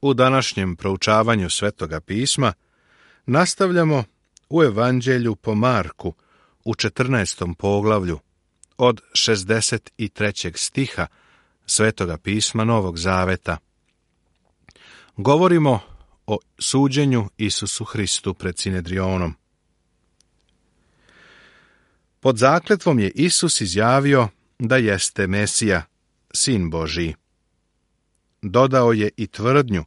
U današnjem proučavanju Svetoga pisma nastavljamo u Evanđelju po Marku u 14. poglavlju od 63. stiha Svetoga pisma Novog Zaveta. Govorimo o suđenju Isusu Hristu pred Sinedrionom. Pod zakletvom je Isus izjavio da jeste Mesija, Sin Božiji. Dodao je i tvrdnju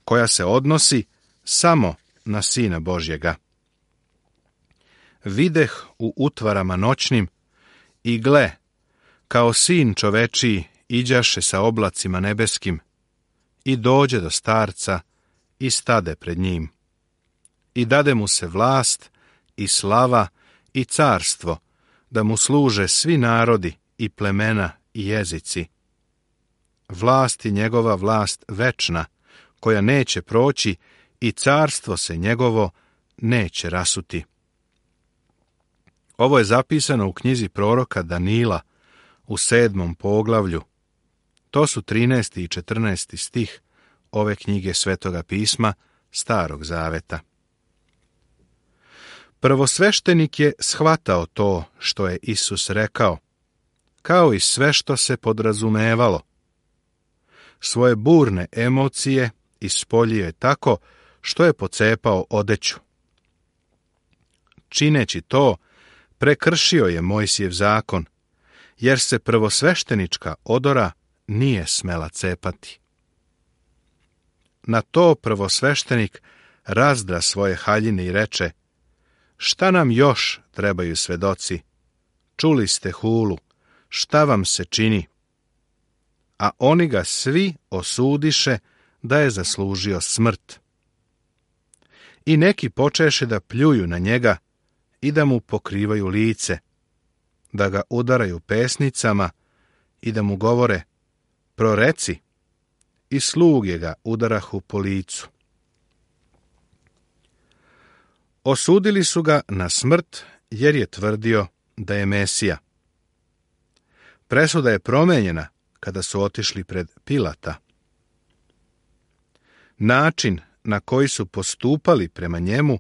koja se odnosi samo na Sina Božjega. Videh u utvarama noćnim i gle, kao Sin čovečiji iđaše sa oblacima nebeskim i dođe do starca i stade pred njim. I dade mu se vlast i slava i carstvo, da mu služe svi narodi i plemena i jezici. Vlast je njegova vlast večna, koja neće proći i carstvo se njegovo neće rasuti. Ovo je zapisano u knjizi proroka Danila u 7. poglavlju. To su 13. i 14. stih ove knjige Svetoga pisma Starog Zaveta. Prvosveštenik je shvatao to što je Isus rekao, kao i sve što se podrazumevalo. Svoje burne emocije ispoljio je tako što je pocepao odeću. Čineći to, prekršio je Mojsijev zakon, jer se prvosveštenička odora nije smela cepati. Na to prvosveštenik razdra svoje haljine i reče: šta nam još trebaju svedoci? Čuli ste hulu, šta vam se čini? A oni ga svi osudiše da je zaslužio smrt. I neki počeše da pljuju na njega i da mu pokrivaju lice, da ga udaraju pesnicama i da mu govore: proreci, i sluge ga udarahu po licu. Osudili su ga na smrt jer je tvrdio da je Mesija. Presuda je promenjena kada su otišli pred Pilata. Način na koji su postupali prema njemu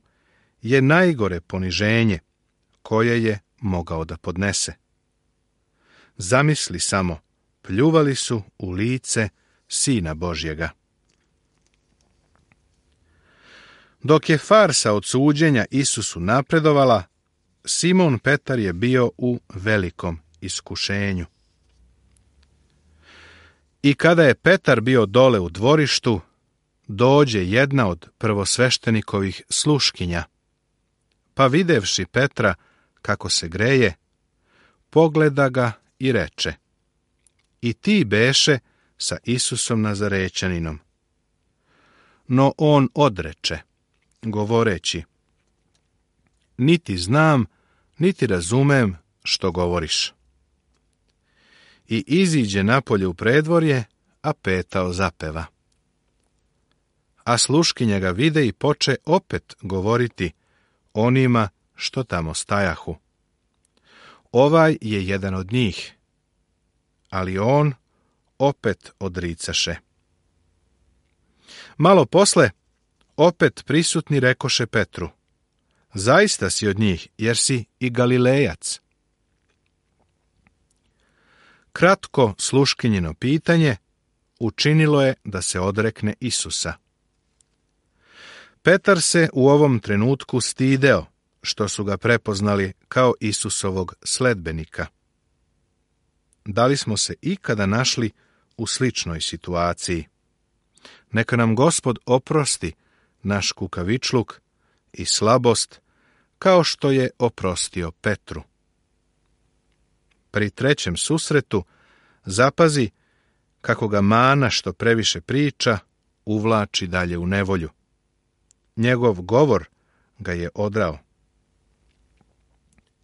je najgore poniženje koje je mogao da podnese. Zamisli samo, pljuvali su u lice Sina Božjega. Dok je farsa od suđenja Isusu napredovala, Simon Petar je bio u velikom iskušenju. I kada je Petar bio dole u dvorištu, dođe jedna od prvosveštenikovih sluškinja, pa videvši Petra kako se greje, pogleda ga i reče: i ti beše sa Isusom Nazarećaninom. No on odreče, govoreći: niti znam, niti razumem što govoriš. I iziđe napolje u predvorje, a petao zapeva. A sluškinja ga vide i poče opet govoriti onima što tamo stajahu: ovaj je jedan od njih. Ali on opet odricaše. Malo posle, opet prisutni rekoše Petru: zaista si od njih, jer si i Galilejac. Kratko sluškinjino pitanje učinilo je da se odrekne Isusa. Petar se u ovom trenutku stideo što su ga prepoznali kao Isusovog sledbenika. Da li smo se ikada našli u sličnoj situaciji? Neka nam Gospod oprosti naš kukavičluk i slabost, kao što je oprostio Petru. Pri trećem susretu zapazi kako ga mana što previše priča uvlači dalje u nevolju. Njegov govor ga je odrao.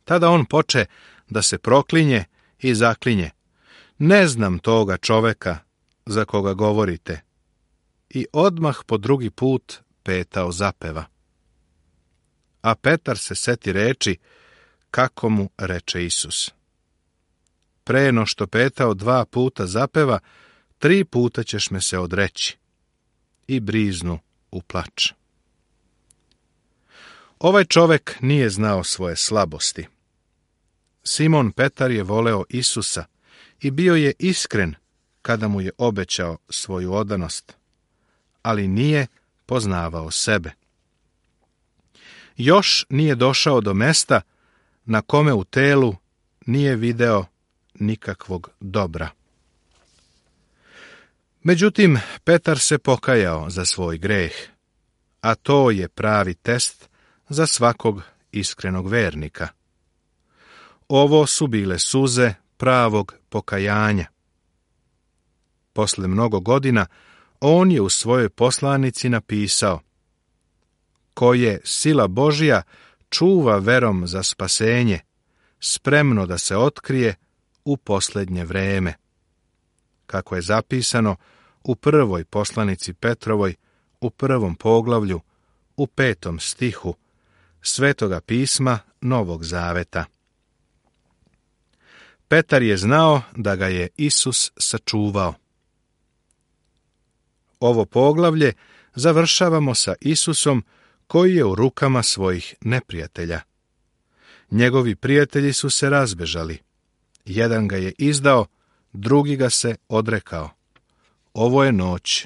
Tada on poče da se proklinje i zaklinje: ne znam toga čoveka za koga govorite. I odmah po drugi put petao zapeva. A Petar se seti reči kako mu reče Isus: pre no što petao 2 puta zapeva, 3 puta ćeš me se odreći. i briznu u plač. Ovaj čovek nije znao svoje slabosti. Simon Petar je voleo Isusa i bio je iskren kada mu je obećao svoju odanost, ali nije poznavao sebe. Još nije došao do mesta na kome u telu nije video nikakvog dobra. Međutim, Petar se pokajao za svoj greh, a to je pravi test za svakog iskrenog vernika. Ovo su bile suze pravog pokajanja. Posle mnogo godina, on je u svojoj poslanici napisao: ko je sila Božja čuva verom za spasenje, spremno da se otkrije u posljednje vreme. Kako je zapisano u prvoj poslanici Petrovoj, u 1. poglavlju, u 5. stihu Svetoga pisma Novog Zaveta. Petar je znao da ga je Isus sačuvao. Ovo poglavlje završavamo sa Isusom koji je u rukama svojih neprijatelja. Njegovi prijatelji su se razbežali. Jedan ga je izdao, drugi ga se odrekao. Ovo je noć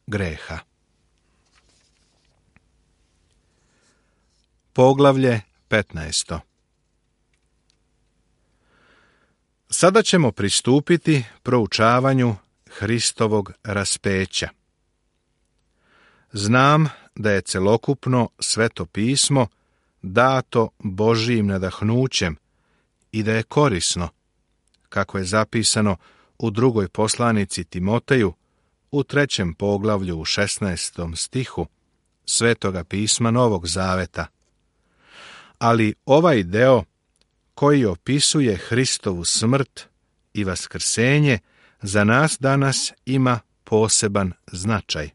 greha. Poglavlje 15. Sada ćemo pristupiti proučavanju Hristovog raspeća. Znam da je celokupno Sveto pismo dato Božijim nadahnućem i da je korisno, kako je zapisano u 2. poslanici Timoteju, u 3. poglavlju u 16. stihu Svetoga pisma Novog Zaveta. Ali ovaj deo koji opisuje Hristovu smrt i vaskrsenje za nas danas ima poseban značaj.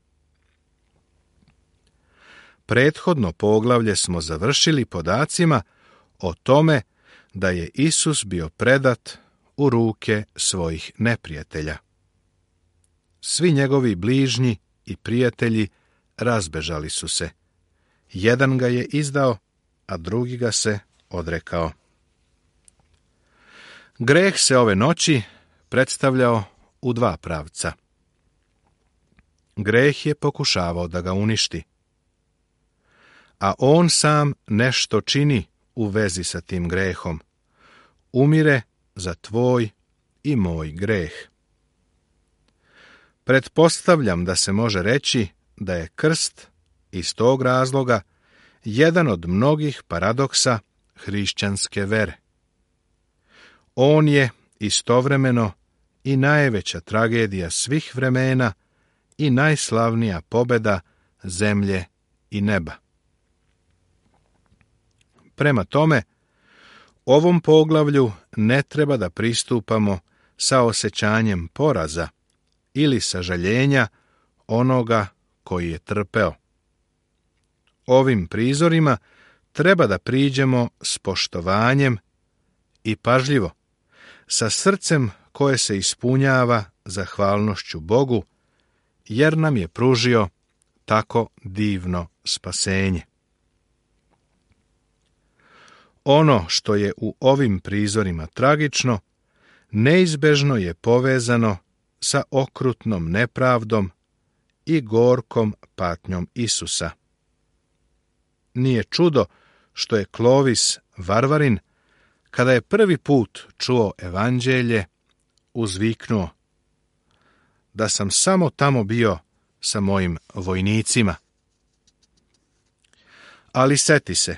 Prethodno poglavlje smo završili podacima o tome da je Isus bio predat u ruke svojih neprijatelja. Svi njegovi bližnji i prijatelji razbežali su se. Jedan ga je izdao, a drugi ga se odrekao. Greh se ove noći predstavljao u dva pravca. Greh je pokušavao da ga uništi, a on sam nešto čini u vezi sa tim grehom. Umire za tvoj i moj greh. Pretpostavljam da se može reći da je krst iz tog razloga jedan od mnogih paradoksa hrišćanske vere. On je istovremeno i najveća tragedija svih vremena i najslavnija pobjeda zemlje i neba. Prema tome, ovom poglavlju ne treba da pristupamo sa osjećanjem poraza ili sažaljenja onoga koji je trpeo. Ovim prizorima treba da priđemo s poštovanjem i pažljivo, sa srcem koje se ispunjava zahvalnošću Bogu, jer nam je pružio tako divno spasenje. Ono što je u ovim prizorima tragično, neizbežno je povezano sa okrutnom nepravdom i gorkom patnjom Isusa. Nije čudo što je Klovis Varvarin, kada je prvi put čuo evanđelje, uzviknuo: da sam samo tamo bio sa mojim vojnicima. Ali seti se,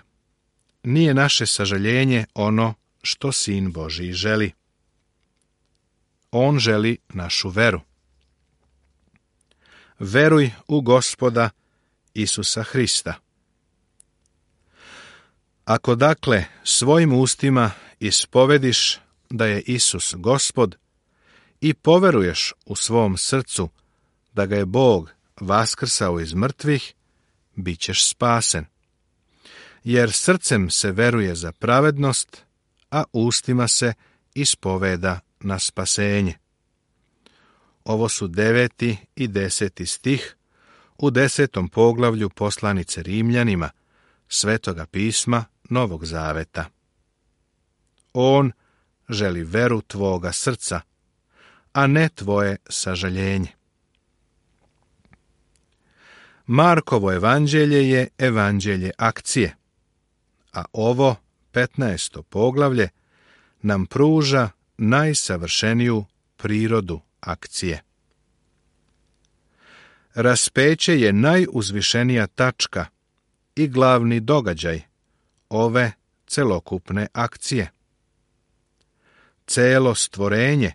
nije naše sažaljenje ono što Sin Božiji želi. On želi našu veru. Veruj u Gospoda Isusa Hrista. Ako dakle svojim ustima ispovediš da je Isus Gospod i poveruješ u svom srcu da ga je Bog vaskrsao iz mrtvih, bit ćeš spasen. Jer srcem se veruje za pravednost, a ustima se ispoveda na spasenje. Ovo su 9. i 10. stih u 10. poglavlju poslanice Rimljanima, Svetoga pisma Novog Zaveta. On želi veru tvoga srca, a ne tvoje sažaljenje. Markovo evanđelje je evanđelje akcije, a ovo 15. poglavlje nam pruža najsavršeniju prirodu akcije. Raspeće je najuzvišenija tačka i glavni događaj ove celokupne akcije. Celo stvorenje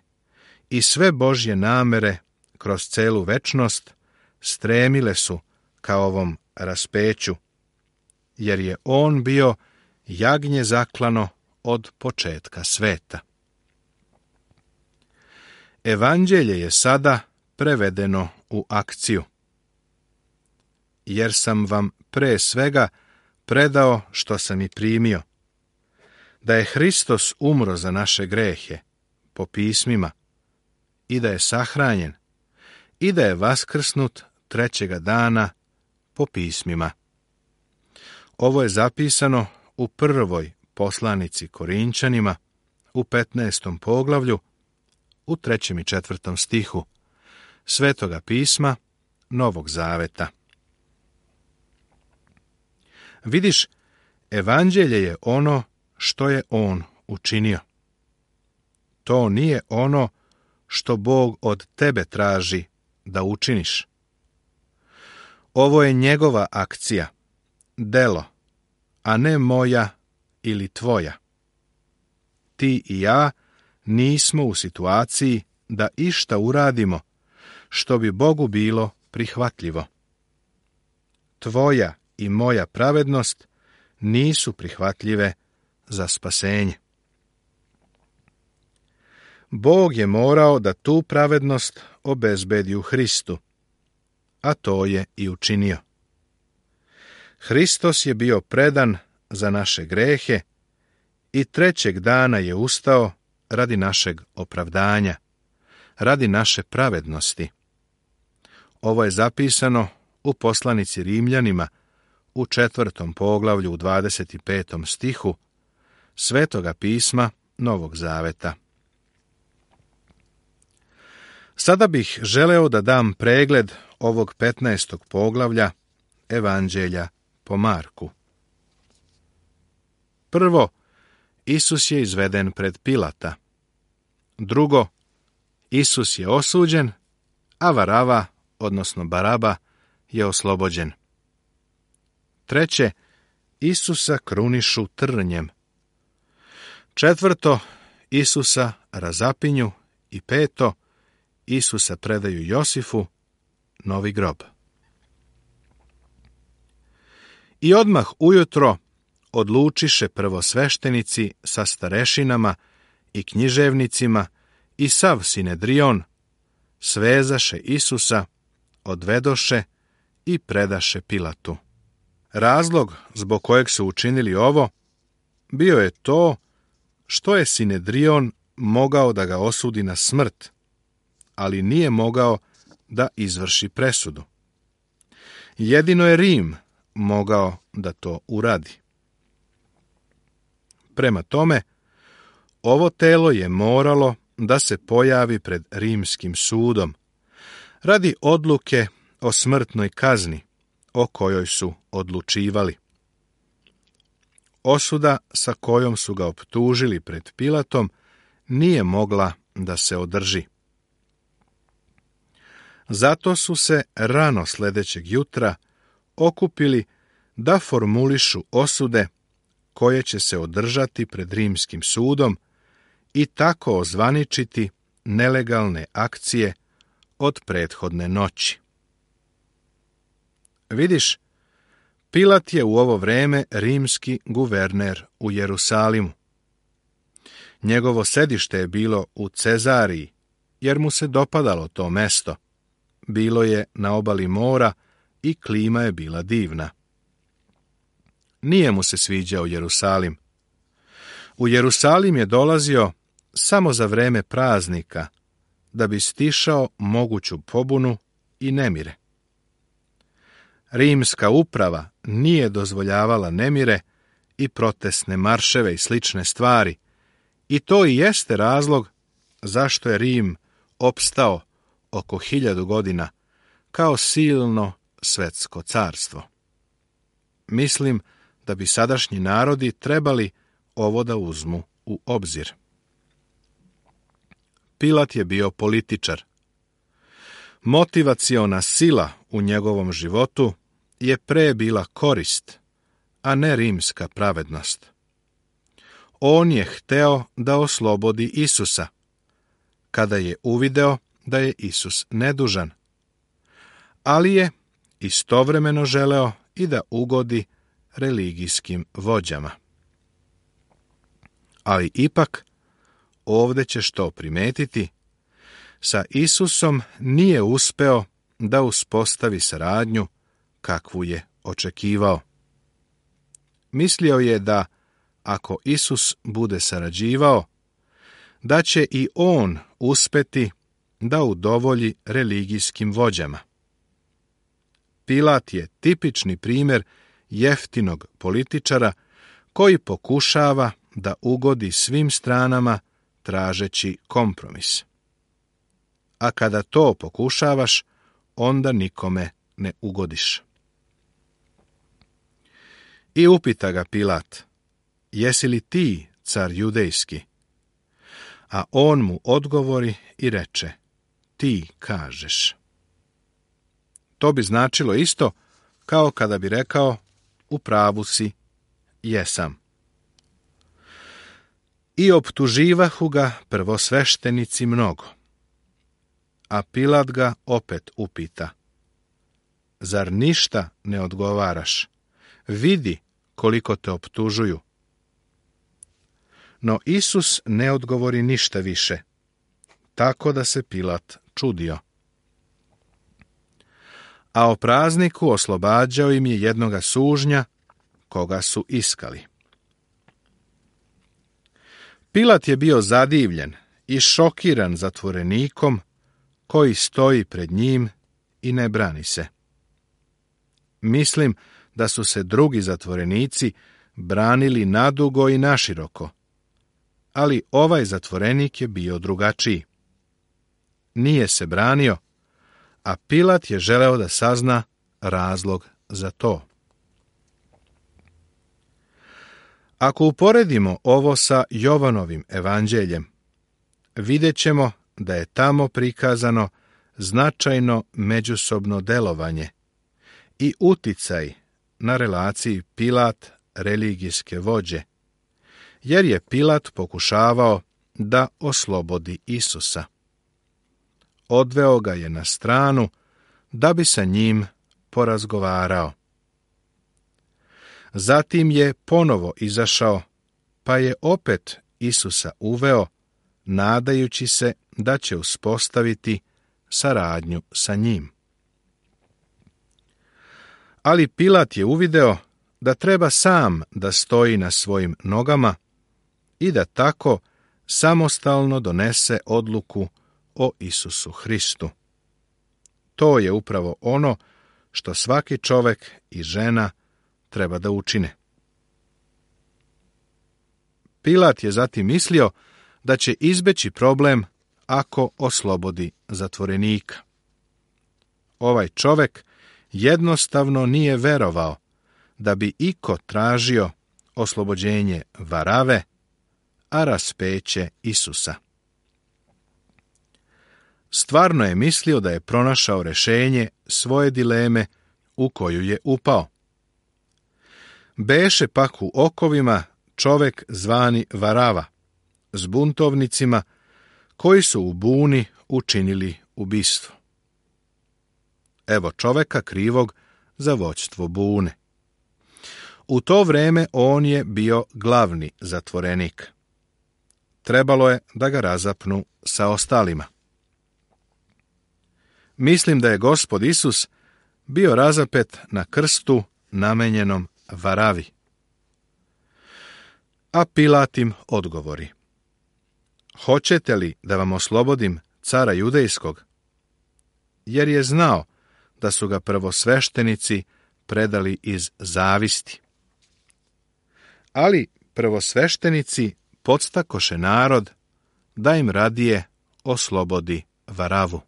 i sve Božje namere kroz celu večnost stremile su ka ovom raspeću, jer je on bio jagnje zaklano od početka sveta. Evanđelje je sada prevedeno u akciju, jer sam vam pre svega predao što sam i primio, da je Hristos umro za naše grehe, po pismima, i da je sahranjen, i da je vaskrsnut trećega dana, po pismima. Ovo je zapisano u prvoj poslanici Korinčanima, u 15. poglavlju, u 3. i 4. stihu Svetoga pisma Novog Zaveta. Vidiš, evanđelje je ono što je on učinio. To nije ono što Bog od tebe traži da učiniš. Ovo je njegova akcija, delo, a ne moja ili tvoja. Ti i ja nismo u situaciji da išta uradimo što bi Bogu bilo prihvatljivo. Tvoja i moja pravednost nisu prihvatljive za spasenje. Bog je morao da tu pravednost obezbedi u Hristu, a to je i učinio. Hristos je bio predan za naše grehe i trećeg dana je ustao radi našeg opravdanja, radi naše pravednosti. Ovo je zapisano u poslanici Rimljanima, u 4. poglavlju u 25. stihu Svetoga pisma Novog Zaveta. Sada bih želeo da dam pregled ovog 15. poglavlja Evanđelja po Marku. Prvo, Isus je izveden pred Pilata. Drugo, Isus je osuđen, a Varava, odnosno Baraba, je oslobođen. Treće, Isusa krunišu trnjem. Četvrto, Isusa razapinju. I peto, Isusa predaju Josifu, novi grob. I odmah ujutro odlučiše prvosveštenici sa starešinama i književnicima i sav Sinedrion, svezaše Isusa, odvedoše i predaše Pilatu. Razlog zbog kojeg su učinili ovo bio je to što je Sinedrion mogao da ga osudi na smrt, ali nije mogao da izvrši presudu. Jedino je Rim mogao da to uradi. Prema tome, ovo telo je moralo da se pojavi pred rimskim sudom radi odluke o smrtnoj kazni o kojoj su odlučivali. Osuda sa kojom su ga optužili pred Pilatom nije mogla da se održi. Zato su se rano sljedećeg jutra okupili da formulišu osude koje će se održati pred rimskim sudom i tako ozvaničiti nelegalne akcije od prethodne noći. Vidiš, Pilat je u ovo vreme rimski guverner u Jerusalimu. Njegovo sedište je bilo u Cezariji, jer mu se dopadalo to mesto. Bilo je na obali mora i klima je bila divna. Nije mu se sviđao Jerusalim. U Jerusalim je dolazio samo za vreme praznika, da bi stišao moguću pobunu i nemire. Rimska uprava nije dozvoljavala nemire i protestne marševe i slične stvari, i to i jeste razlog zašto je Rim opstao oko 1000 godina kao silno svetsko carstvo. Mislim da bi sadašnji narodi trebali ovo da uzmu u obzir. Pilat je bio političar. Motivaciona sila u njegovom životu je pre bila korist, a ne rimska pravednost. On je hteo da oslobodi Isusa, kada je uvideo da je Isus nedužan, ali je istovremeno želeo i da ugodi religijskim vođama. Ali ipak, ovdje ćeš to primetiti, sa Isusom nije uspeo da uspostavi saradnju kakvu je očekivao. Mislio je da, ako Isus bude sarađivao, da će i on uspeti da udovolji religijskim vođama. Pilat je tipični primjer jeftinog političara koji pokušava da ugodi svim stranama tražeći kompromis. A kada to pokušavaš, onda nikome ne ugodiš. I upita ga Pilat, jesi li ti car judejski? A on mu odgovori i reče, ti kažeš. To bi značilo isto kao kada bi rekao, u pravu si, jesam. I optuživahu ga prvosveštenici mnogo. A Pilat ga opet upita, zar ništa ne odgovaraš? Vidi koliko te optužuju. No Isus ne odgovori ništa više, tako da se Pilat čudio. A o prazniku oslobađao im je jednoga sužnja, koga su iskali. Pilat je bio zadivljen i šokiran zatvorenikom koji stoji pred njim i ne brani se. Mislim da su se drugi zatvorenici branili nadugo i naširoko, ali ovaj zatvorenik je bio drugačiji. Nije se branio, a Pilat je želeo da sazna razlog za to. Ako uporedimo ovo sa Jovanovim evanđeljem, vidjet ćemo da je tamo prikazano značajno međusobno delovanje i uticaj na relaciji Pilat-religijske vođe, jer je Pilat pokušavao da oslobodi Isusa. Odveo ga je na stranu da bi sa njim porazgovarao. Zatim je ponovo izašao, pa je opet Isusa uveo, nadajući se da će uspostaviti saradnju sa njim. Ali Pilat je uvideo da treba sam da stoji na svojim nogama i da tako samostalno donese odluku o Isusu Hristu. To je upravo ono što svaki čovek i žena treba da učine. Pilat je zatim mislio da će izbeći problem ako oslobodi zatvorenika. Ovaj čovek jednostavno nije verovao da bi iko tražio oslobođenje Varave, a raspeće Isusa. Stvarno je mislio da je pronašao rešenje svoje dileme u koju je upao. Beše pak u okovima čovek zvani Varava, s buntovnicima koji su u buni učinili ubistvo. Evo čoveka krivog za vođstvo bune. U to vreme on je bio glavni zatvorenik. Trebalo je da ga razapnu sa ostalima. Mislim da je Gospod Isus bio razapet na krstu namenjenom Varavi. A Pilat im odgovori, hoćete li da vam oslobodim cara judejskog? Jer je znao da su ga prvosveštenici predali iz zavisti. Ali prvosveštenici podstakoše narod da im radije oslobodi Varavu.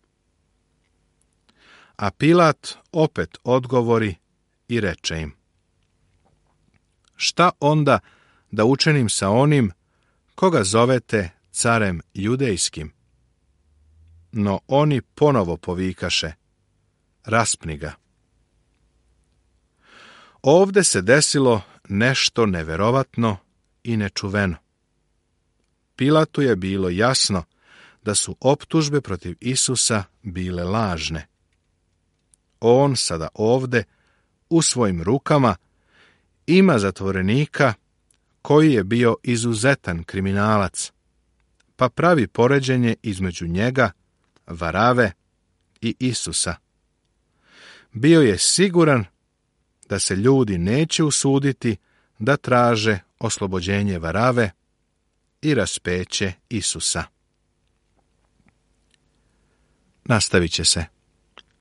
A Pilat opet odgovori i reče im: šta onda da učinim sa onim koga zovete carem judejskim? No oni ponovo povikaše: raspni ga. Ovde se desilo nešto neverovatno i nečuveno. Pilatu je bilo jasno da su optužbe protiv Isusa bile lažne. On sada ovde, u svojim rukama, ima zatvorenika koji je bio izuzetan kriminalac, pa pravi poređenje između njega, Varave i Isusa. Bio je siguran da se ljudi neće usuditi da traže oslobođenje Varave i raspeće Isusa. Nastavit će se.